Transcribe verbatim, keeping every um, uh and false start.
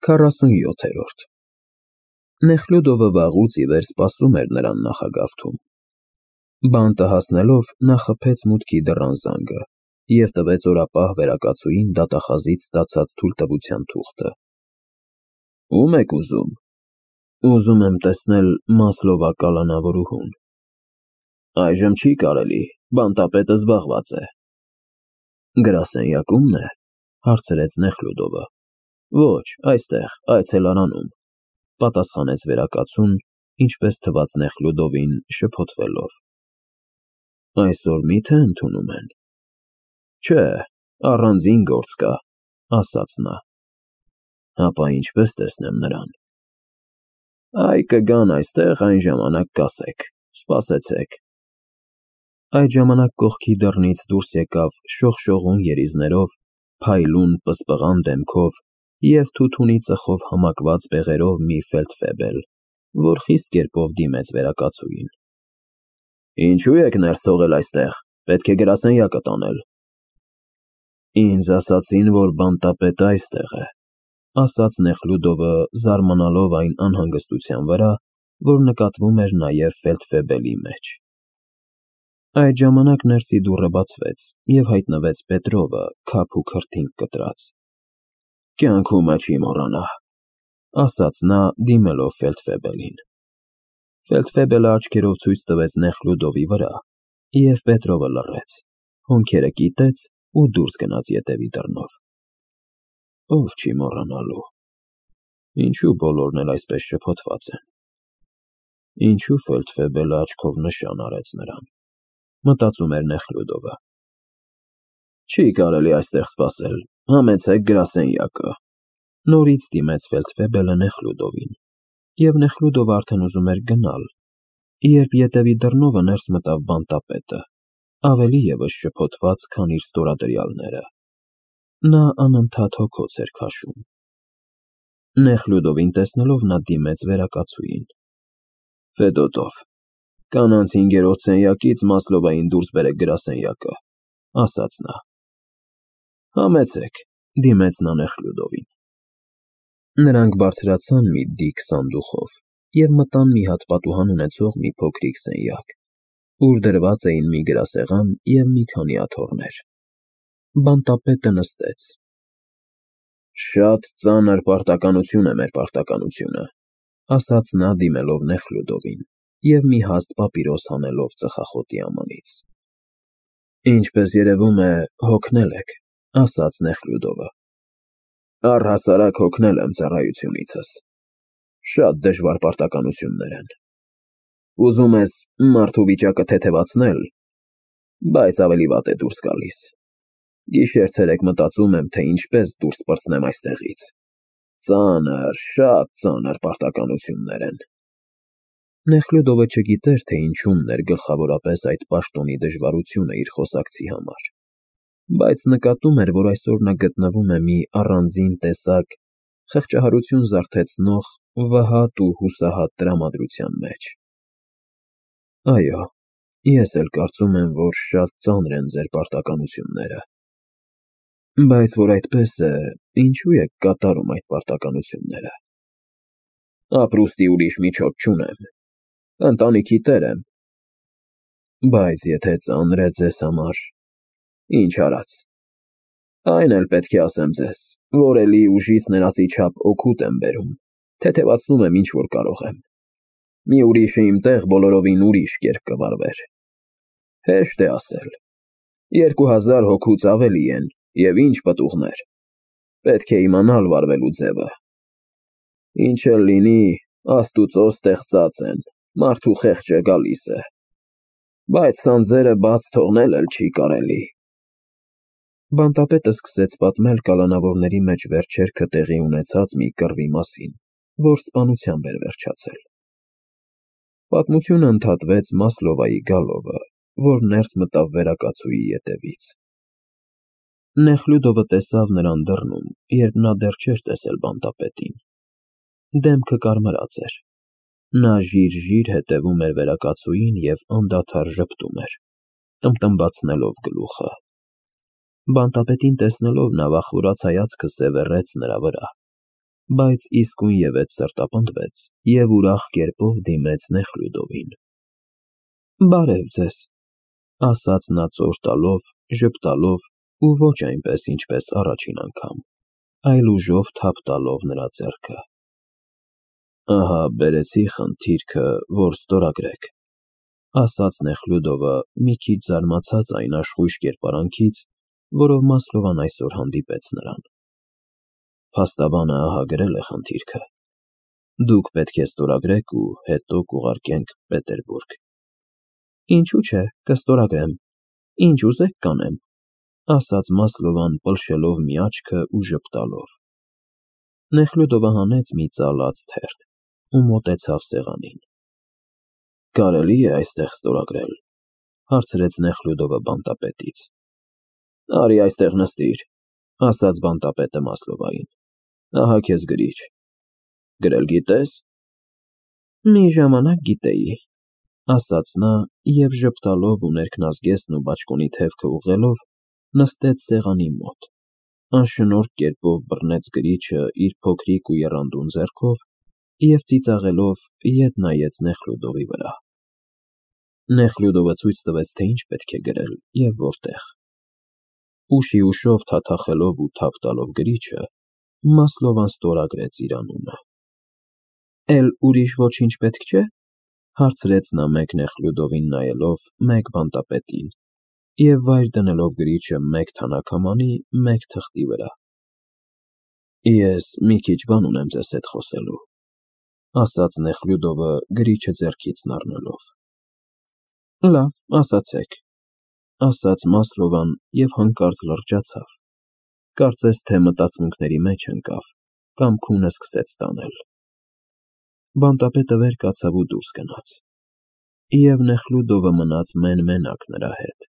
քառասունյոթերորդ Նեխլյուդովը վաղուց ի վեր սպասում էր նրան նախագավթում։ Բանտը հասնելով նա խփեց մուտքի դռան զանգը և տվեց օրապահ վերակացուին դատախազից ստացած թույլտվության թուղթը։ ֊ Ո՞ւմ եք ուզում։ ֊ Ուզում եմ տեսնել Մասլովա կալանավորուհուն։ ֊ Այժմ չի կարելի, բանտապետը զբաղված է։ ֊ Գրասենյակումն է,֊ հարցրեց Նեխլյուդովը։ ֊ Ոչ, այստեղ, այցելարանում,֊ պատասխանեց վերակացուն, ինչպես թվաց Նեխլյուդովին, շփոթվելով։ ֊ Այսօր մի՞թե ընդունում են։ ֊ Չէ, առանձին գործ կա,֊ ասաց նա։ ֊ Հապա ինչպե՞ս տեսնեմ նրան։ ֊ Այ կգան այստեղ, այն ժամանակ կասեք, սպասեցեք։ Այդ ժամանակ կողքի դռնից դուրս եկավ շողշողուն երիզներով, փայլուն, պսպղան դեմքով և թութունի ծխով համակված բեղերով մի ֆելդֆեբել, որ խիստ կերպով դիմեց վերակացուին։ ֊ Ինչո՞ւ եք ներս թողել այստեղ, պետք է գրասենյակը տանել։ ֊ Ինձ ասացին, որ բանտապետը այստեղ է,֊ ասաց Նեխլյուդովը, զարմանալով այն անհանգստության վրա, որ նկատվում էր նաև ֆելդֆեբելի մեջ։ Այդ ժամանակ ներսի դուռը բացվեց, և հայտնվեց Պետրովը, քափ ու քրթինք կտրած։ ֊ Կյանքումդ չի մոռանա,֊ ասաց նա, դիմելով ֆելդֆեբելին։ Ֆելդֆեբելը աչքերով ցույց տվեց Նեխլյուդովի վրա, և Պետրովը լռեց, հոնքերը կիտեց ու դուրս գնաց ետևի դռնով։ Ով չի մոռանալու։ Ինչո՞ւ բոլորն էլ այսպես շփոթված են։ Ինչո՞ւ ֆելդֆեբելը աչքով նշան արեց նրան, մտածում էր Նեխլյուդովը։ Չի կարելի այստեղ սպասել, համեցեք գրասենյակը։ Նորից դիմեց ֆելդֆեբելը Նեխլյուդովին, և Նեխլյուդովը արդեն ուզում էր գնալ, երբ ետևի դռնովը ներս մտավ բանտապետը, ավելի ևս շփոթված, քան իր ստորադրյալները։ Նա անընդհատ հոգոց էր քաշում։ Նեխլյուդովին տեսնելով նա դիմեց վերակացուին։ ֊ Ֆեդոտով, կանանց հինգերորդ սենյակից Մասլովային դուրս բերեք գրասենյակը,֊ ասաց նա։ ֊ Համեցեք,֊ դիմեց նա Նեխլյուդովին։ Նրանք բարձրացան մի դիք սանդուղով և մտան մի հատ պատուհան ունեցող մի փոքրիկ սենյակ, ուր դրված էին մի գրասեղան և մի քանի աթոռներ։ Բանտապետը նստեց։ ֊ Շատ ծանր պարտականություն է մեր պարտականությունը,֊ ասաց նա, դիմելով Նեխլյուդովին և մի հաստ պապիրոս հանելով ծխախոտի ամանից։ ֊ Ինչպես երևում է, հոգնել եք,֊ ասաց Նեխլյուդովը։ ֊ Առհասարակ հոգնել եմ ծառայությունիցս։ Շատ դժվար պարտականություններ են։ Ուզում ես մարդու վիճակը թեթևացնել, բայց ավելի վատ է դուրս գալիս։ Գիշեր֊ցերեկ մտածում եմ, թե ինչպես դուրս պրծնեմ այստեղից։ Ծանր, շատ ծանր պարտականություններ են։ Նեխլյուդովը չգիտեր, թե ինչումն էր գլխավորապես այդ պաշտոնի դժվարությունը իր խոսակցի համար, բայց նկատում էր, որ այսօր նա գտնվում է մի առանձին տեսակ խղճահարություն զարթեցնող վհատ ու հուսահատ տրամադրության մեջ։ ֊ Այո, ես էլ կարծում եմ, որ շատ ծանր են ձեր պարտականությունները։ Բայց որ այդպես է, ինչո՞ւ եք կատարում այդ պարտականությունները։ ֊ Ապրուստի ուրիշ միջոց չունեմ, ընտանիքի տեր եմ։ ֊ Բայց եթե ծանր է ձեզ համար, ինչ արած։ Այն էլ պետք է ասեմ ձեզ, որ էլի ուժիս ներածի չափ օգուտ եմ բերում, թեթևացնում եմ, ինչ որ կարող եմ։ Մի ուրիշը իմ տեղ բոլորովին ուրիշ կերպ կվարվեր։ Հեշտ է ասել. երկու հազար հոգուց ավելի են, և ինչ պտուղներ։ Պետք է իմանալ վարվելու ձևը։ Ինչ էլ լինի, Աստուծո ստեղծած են, մարդու խեղճը գալիս է։ Բայց սանձերը բաց թողնել էլ չի կարելի։ Բանտապետը սկսեց պատմել կալանավորների մեջ վերջերքը տեղի ունեցած մի կռվի մասին, որ սպանությամբ էր վերջացել։ Պատմությունը ընդհատվեց Մասլովայի գալովը, որ ներս մտավ վերակացուի ետևից։ Նեխլյուդովը տեսավ նրան դռնում, երբ նա դեռ չէր տեսել բանտապետին։ Դեմքը կարմրած էր։ Նա ժիր֊ժիր հետևում էր վերակացուին և անդադար ժպտում էր, տմբտմբացնելով գլուխը։ Բանտապետին տեսնելով նա վախվորած հայացքը սևեռեց նրա վրա։ բայց իսկույնևեթ սրտապնդվեց և ուրախ կերպով դիմեց Նեխլյուդովին։ ֊ Բարև ձեզ, ֊ ասաց նա ծոր տալով, ժպտալով ու ոչ այնպես, ինչպես առաջին անգամ, այլ ուժով թափ տալով նրա ձեռքը։ ֊ Ահա բերեցի խնդիրքը, որ ստորագրեք, ֊ ասաց Նեխլյուդովը, մի քիչ զարմացած այն աշխույժ կերպարանքից, որով Մասլովան այսօր հանդիպեց նրան։ Փաստաբանը ահա գրել է խնդիրքը։ Դուք պետք է ստորագրեք ու հետո կուղարկենք Պետերբուրգ։ ֊ Ինչու՞ չէ, կստորագրեմ, ինչ ուզեք կանեմ, ֊ ասաց Մասլովան, պլշելով մի աչքը ու ժպտալով։ Նեխլյուդովը հանեց մի ծալած թերթ ու մոտեցավ սեղանին։ ֊ Կարելի՞ է այստեղ ստորագրել, ֊ հարցրեց Նեխլյուդովը բանտապետից։ ֊ Արի այստեղ նստիր, ֊ ասաց բանտապետը Մասլովային։ Ահա քեզ գրիչ։ Գրել գիտե՞ս։ ֊ Մի ժամանակ գիտեի, ֊ ասաց նա և ժպտալով ու ներքնազգեստն ու բաճկոնի թևքը ուղղելով նստեց սեղանի մոտ, անշնորհք կերպով բռնեց գրիչը իր փոքրիկ ու եռանդուն ձեռքով և ծիծաղելով ետ նայեց Նեխլյուդովի վրա։ Նեխլյուդովը ցույց տվեց, թե ինչ պետք է գրել և որտեղ։ Ուշի ուշով թաթախելով ու թափ տալով գրիչը, Մասլովան ստորագրեց իր անունը։ ֊ Էլ ուրիշ ոչինչ պետք չէ, ֊ հարցրեց նա մեկ Նեխլյուդովին նայելով, մեկ բանտապետին և վայր դնելով գրիչը մեկ թանաքամանի, մեկ թղթի վրա։ ֊ Ես մի քիչ բան ունեմ ձեզ հետ խոսելու, ֊ ասաց Նեխլյուդովը գրիչը ձեռքից առնելով։ ֊ Լավ, ասացեք, ֊ ասաց Մասլովան և հանկարծ լրջացավ, կարծես թե մտածմունքների մեջ ընկավ կամ քունը սկսեց տանել։ Բանտապետը վեր կացավ ու դուրս գնաց, և Նեխլյուդովը մնաց մեն֊մենակ նրա հետ։